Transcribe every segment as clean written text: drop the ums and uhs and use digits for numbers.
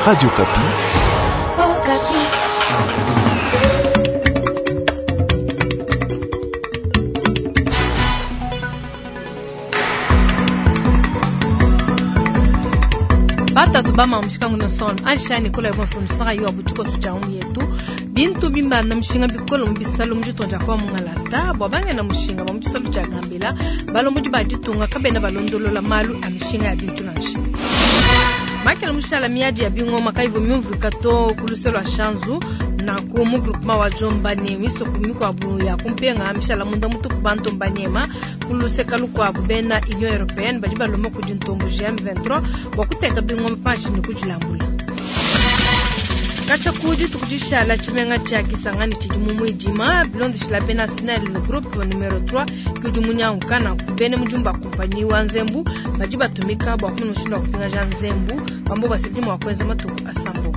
Radio Okapi. Batatu bama mushikangu nosolo anshani kola bonso musaka yo abuchiko sucha yetu bintu bimbanda mushinga bikolo mu bisalo mu ditunga dia kwa mungalata bua bangena mushinga ba mu tshisalu tshia gambela balombodi ba ditunga kabena balondolola malu a mishinga ya bintu nansha. Makela mushala miadi ya bingoma kaivu myumvuika to ku luse lua Shanzu nanku mu groupement wa Jomba ne misoko mikuabu ya kumpenga mishala munda mutupu bantu mbanyema ku luseka lukuabu bena Union Européenne badi balomba kudi ntombo GM23 bua kuteka bingoma panshi ne kudilambula. Katshia ku dituku dishala tshimenga tshia Kisangani tshidi mu muidima bilondeshila bena SNEL le groupe numero 3 ke udi munyanguka nanku bena mudimu ba kumpanyi wa nzembu badi batumika bua kumona mushindu wa kupingaja nzembu bambo basibidi mua kuenza matuku asambo.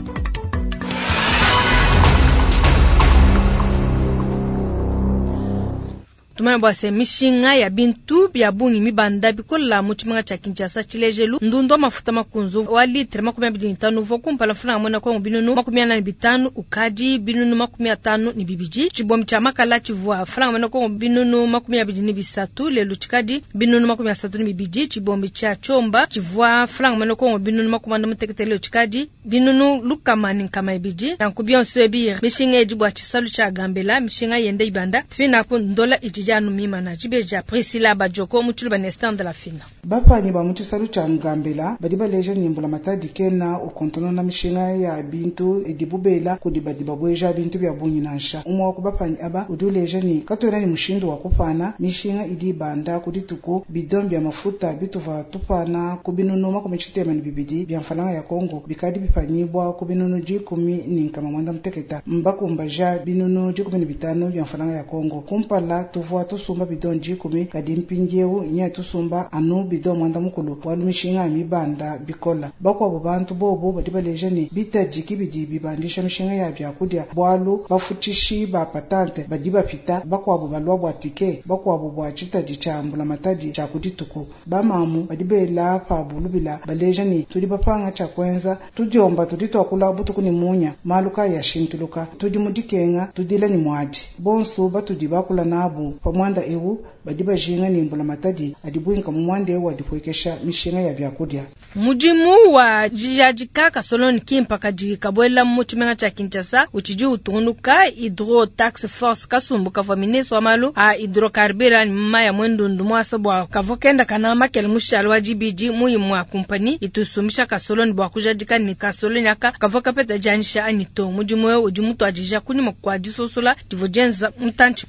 Tumanye bua se mishinga ya bintu bia bungi mibanda bikola mu tshimenga tshia Kinshasa tshilejelu ndundu wa mafuta makunzu wa litre 25 uvua kumpala mfulanga muena Kongo binunu 45 ukadi binunu 52 tshibombi tshia makala tshivua mfulanga muena Kongo binunu 23 lelu tshikadi binunu 32 tshibombi tshia chomba tshivua mfulanga muena Kongo binunu 56 lelu tshikadi binunu lukama ni nkama ibidi nanku bionso ebi mishinga edi bua tshisalu tshia Gambela mishinga yende ibanda fina ku ndola idi janu mimana jibeja Priscilla Bajoko mu tshiluba ne stand la fina. Bapanyi ba mu tshisalu tshia Ngambela badi baleja ne mbula matadi kena ukontonona mishinga ya bintu idibu bela kudi badi babueja bintu bia bungi nansha. Umwe wa ku bapanyi aba udi uleja ne katuena ne mushindu wa kupana mishinga idi ibanda ku dituku bidon bia mafuta bituva tupana ku binunu 62 bia mfalanga ya Kongo bikadi bipanyibwa ku binunu 196 mbakumbaja binunu 15 bia mfalanga ya Kongo. Kumpala tuvua tusumba bidon 10 kadi mpindieu nya tusumba anu bidon mwanda mukulu walu mishinga mibanda bikola. Bakuabu bantu bobo badi baleja ne bitadi kibidi bibandisha mishinga ya byakudia bwalu bafutishi ba patante badi bapita bakuabu balwa bwa tike bakuabu bwa tshitadi tshia mbula matadi tshia kudituku. Bamamu badi bela pa bulubila baleja ne tudi bapanga tshia kuenza tudiomba tudi twakula butuku ni munya maluka ya shintuluka tudi mudikenga tudila ni mwadi bonso batudi bakula nabu pa mwanda ewu badi bajinga ni mbula matadi adibuinka mu mwanda ewu adipuekesha mishinga ya byakudia. Mudimu wa jijadika kasoloni kimpa kadi kabwela mu tshimenga tshia Kinshasa utshidi utungunuka Hydro Tax Force kasumbu kavua ministre wa malu a hydrocarbures ni maya mwendundu mwasa bua kavua kenda kana makele mushalo wa dibidi muyimu wa kumpani itusumisha kasoloni bua kujadika ni kasoloni aka kavua kapeta janisha anito. Mudimu ewu udi mutuadija kunyima kua disosola divua dienza mutantshi.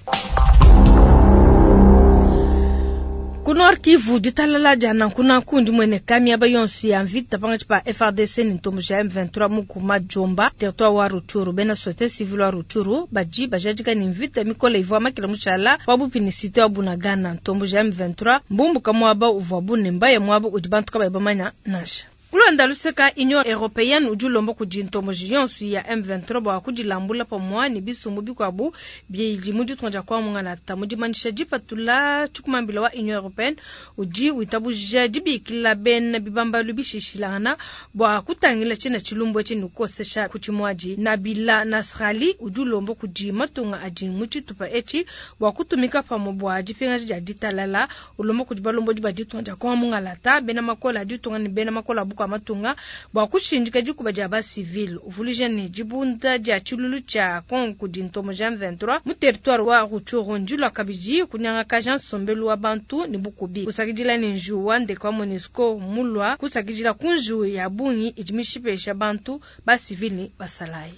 Ku Nord Kivu ditalala dia nanku ndi mwene miaba yonso ya mvita pangatshi pa FARDC ni ntombo ja M23 mu kuma Jomba territoire wa Rutshuru. Bena société civile wa Rutshuru badi bajadika ni mvita mikole ivua makela mushala wa bupini cité wa Bunagana. Ntombo ja M23 mbumbuka mwaba uvua bunemba ya mwaba udi bantu kabayi bamanya nansha. Kulonda luseka Union Européenne udi ulomba kudi ntombo yonso ya M23 bua kudilambula pamua ne bisumbu bikuabu bidi mu ditunga dia kwa mungalata. Mu dimanyisha dipatula tshikumambila wa Union Européenne udi witabuja dibikila bena bibambalu bishishilangana bua kutangila tshina tshilumbu etshi ne kukosesha ku tshimuadi. Nabila Nasrali udi ulomba kudi matunga adi mu tshitupa etshi bua kutumika pamue bua dipingaja dia ditalala. Ulomba kudi balombodi ba ditunga dia kwa mungalata bena makola a ditunga ne bena makola a buka matunga bua kushindika dikuba dia ba civil. Uvuluija ne dibunda dia tshilulu tshia Kongo kudi ntombo ja M23 mu territoire wa Rutshuru ndilua kabidi kunyangakaja nsombelu wa bantu ne bukubi. Kusakidila ne njiwu wa ndeke wa MONUSCO mulua kusakidila ku njiwu ya bungi idi mishipesha bantu ba civil ne basalayi.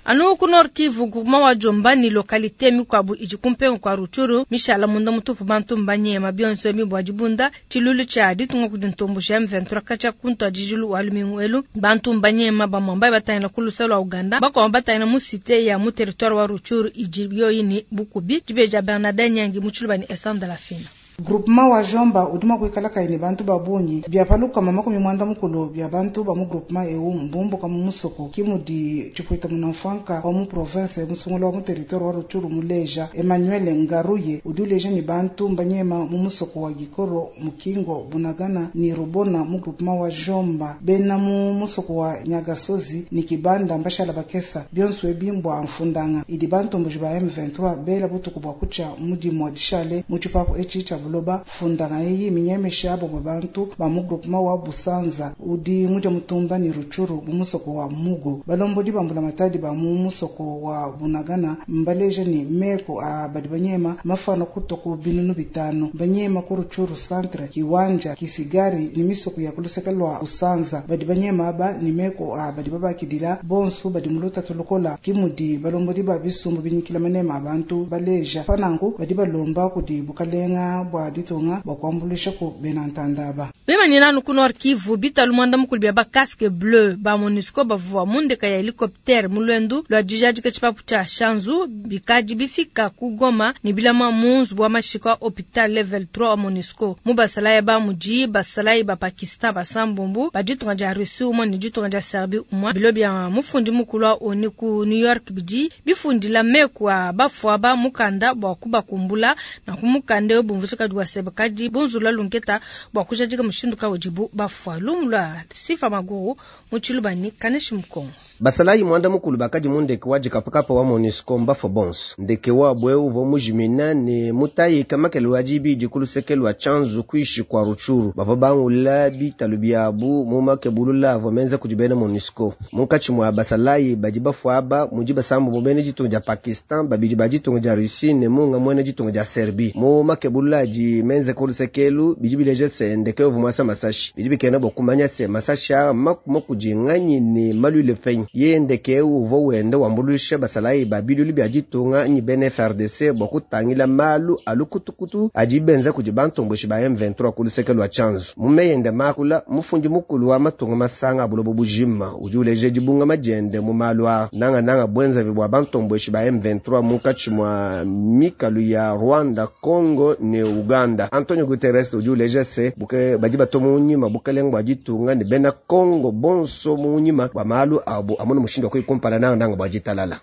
Anu ku Nord Kivu groupement wa Jomba ni localité mikuabu idi kumpenga kwa Rutshuru mishala munda mutupu bantu mbanyema bionso mibwa dibunda tshilulu tshia ditunga kudi ntombo ja M23 katshia kuntu adijilu wa lumingu elu bantu mbanyema bamwamba batangila ku lusalo lwa Uganda bakwamba batangila mu cité ya mu territoire wa Rutshuru idi yoyi ni bukubi dibeja Bernardin Nyangi mu tshiluba ni Esther de la Fina. Groupement wa Jomba udi mua kuikala kayi ne bantu ba bungi, bia pa 340 bia bantu ba mu groupement eu mbumbuka mu musoko, ki mudi tshipuita munamfuanka wa mu province musungula wa mu territoire wa Rutshuru muleja. Emmanuel Ngaruye udi uleja ne bantu mbanyema mu musoko wa Gikoro, Mukingo, Bunagana ne Rubona mu groupement wa Jomba. Bena mu musoko wa Nyagasozi ne Kibanda mbashala bakesa bionso ebi mbua mfundanga idi bantomboji ba M23 bela butuku bua kutshia mu dimua dishale mu tshipapu etshi tshia buloba. Fundanga eyi minyemesha bamue bantu ba mu groupement wa Busanza udi mudia mutumba ne Rutshuru mu musoko wa Mugo. Balombodi ba mbulamatadi ba mu musoko wa Bunagana mbaleja ne meko a badi banyema mafana kutua ku 500 banyema ku Rutshuru centre, Kiwanja, Kisigari ne misoko ya kuluseke lua Busanza. Badi banyema aba ne meko a badi babakidila bonso badi mu lutatu lukola, ki mudi balombodi ba bisumbu binyikila manema a bantu baleja. Pananku badi balomba kudi bukalenga bua ditunga bua kuambuluisha ku bena ntandaba. Bemanyina anu ku Nord Kivu, bitalu mwanda mukulu bia ba casque bleu ba MONUSCO bavua mu ndeka ya helicoptère mu lwendu lua dijadika tshipapu tshia Shanzu bikadi bifika ku Goma ne bilama mu nzubu wa mashika wa hôpital level 3 wa MONUSCO. Mu basalayi ba mudi basalayi ba Pakistan basambombo ba ditunga dia Russie umue ne ditunga dia Serbie umue. Bilo bia mufundi mukulu wa ONU ku New York bidi bifundila meku a bafua ba mukanda bua kubakumbula na ku mukanda eu bumvuija kadi wa sebe kadi bunzula lunketa bua kujadika mushindu kawu udibu bafua. Lumu lua Sifa Maguru mu Tshilubani, Kaneshi Mukongo. Basalayi mwanda mukulu bakadi mu ndeke wa dikapakapa wa MONUSCO mbafua bonso. Ndeke wabwe uvua mujimina ne mutayika makele wa dibidi ku luseke lua Tshanzu kuishi kwa Rutshuru. Bavua bangula bitalu biabu mu makebulula avua menza kudi bena MONUSCO. Munkatshi mua basalayi badi bafua aba mudi basambu bena ditunga dia Pakistan, babidi ba ditunga dia Russie ne munga muena ditunga dia Serbie. Mu makebulula adi menza ku lusekelu bidi bileja se ndeke uvua muasa masashi. Bidi bikena bua kumanya se masashi aa makuma kudi nganyi ne malwile fenyi. Ye ndeke uvua wenda wambuluisha basalayi ba bilulu bia ditunga nyi bena FARDC bua kutangila malu a lukutukutu adi benza kudi bantomboshi ba M23 ku luseke lua Tshanzu. Mu meyende makula, mufundi mukulu wa matunga masanga a buloba bujima udi uleja dibungama diende mu malu aa nangananga bwenzavi bua bantomboshi ba M23 munkatshi mua mikalu ya Rwanda, Congo ne Uganda. Antonio Guterres udi uleja se buke badi bato mu nyima bukalenga bua ditunga ne bena Congo bonso mu nyima bua malu abu amuna mushindu wa kuikumpala nangananga bua ditalala.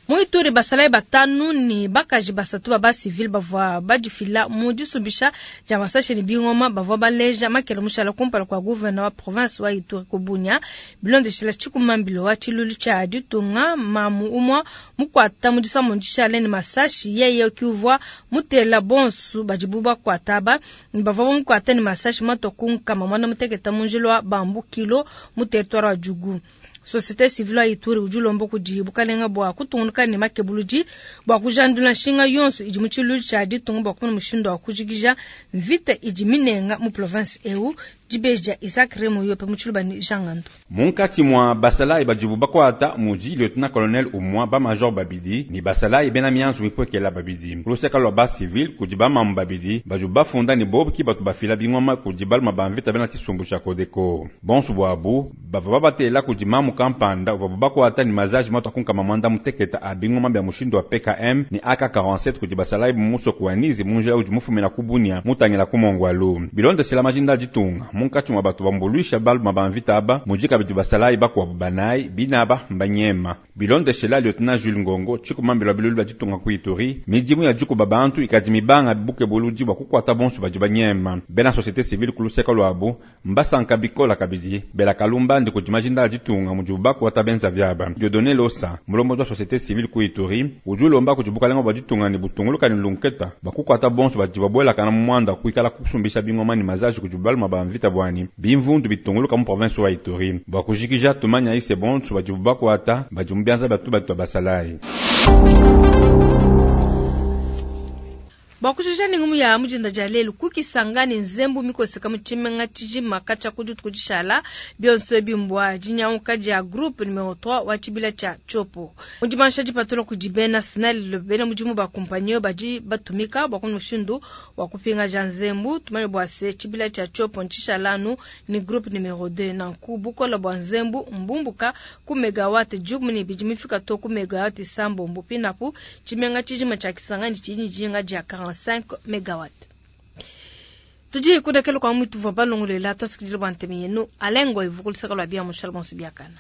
Mu Ituri basalayi batanu ne bakaji basatu ba civil bavua badifila mu disubisha dia masashi ne bingoma bavua baleja makele mushala kumpala kua gouverneur wa province wa Ituri ku Bunia. Bilondeshela tshikumambilo wa tshilulu tshia ditunga mamu umua mukwata mu disamu dishale ne masashi yeye kiuvua mutela bonsu badibu bakwata ba bavua bamukwata ne masashi mato ku nkama mwana muteketa mu njila wa Bambukilo mu territoire wa Djugu. Société civile ya Ituri udi ulomba kudi bukalenga bua kutungunuka ne makebuludi bua kujandula nshinga yonso idi mu tshilu tshia ditunga bua kumona mushindu wa kujikija mvita idi minenga mu province eu. Dibeja Isaac Remo yope mu Tshilubani Jean Ngando. Munkatshi mua basalayi badibu bakwata mudi lieutenant colonel umua ba major babidi ni basalayi bena mianzu mipwekela babidi. Kuluseka lwa ba civil kudi ba mamu babidi badibu bafunda ni bobu ki batu bafila bingoma kudi baluma ba mvita bena tshisumbu tshia Codeco. Bonso bwabu bavua babatela kudi mamu kampanda uvabu bakwata ni mazaji matu akunkama mwanda muteketa a bingoma bya mushindu wa PKM ni AK47 kudi basalayi musoko wa Nizi munjila udi mufumina ku Bunia mutangila ku Mongwalu. Bilondeshela majinda ditunga munkatshi mua batu bambuluisha baluma ba mvita aba mudi kabidi basalayi bakuabu banayi binaba mbanyema. Bilondeshela lieutenant Jules Ngongo tshikumambila bilulu bya ditunga ku Ituri midimu ya dikuba bantu ikadi mibanga buke buludi bua kukwata bonso badi banyema. Bena société civile ku luseka lwabu mbasanka bikola kabidi bela kalumba ndi kudi majinda ditunga mudi bakwata benza vyaba. Dieudonné Losa mulombo wa société civile ku Ituri udi ulomba kudi bukalenga bua ditunga ne butunguluka ne lunketa bakukwata bonso badi babuelakana mu mwanda kuikala kusumbisha bingoma ne mazaji kudi baluma ba mvita bwani bimvundu bitunguluka mu province wa Ituri bua kujikija tumanya ise bonso badi bakwata badi mu bianza batu batu basalayi. Bua kujija ni ngumu ya mujinda dia lelu kukisanga ni nzembu mikoseka mu tshimenga tshijima katshia ku dituku dishala bionso bimbwa dinyanguka dia groupe numero 3 wa tshibila tshia Tshopo. Mu dimansha dipatula kudi bena SNEL bena mudimu ba kompanyi badi batumika bua mushindu wa kupingaja nzembu tumanye bua se tshibila tshia Tshopo ntshishala ni groupe numero 2 nanku bukola bua nzembu mbumbuka ku megawatt 12 mifika to ku megawatt 7 pinapu tshimenga tshijima tshia Kisangani tshidi dijinga dia 45 megawatt. Tudi kundekelu kua mutuvua balongoluela tuasakidila bua ntema yenu. Alain Ngoy vukuluseka lua bia mushala bonso biakana.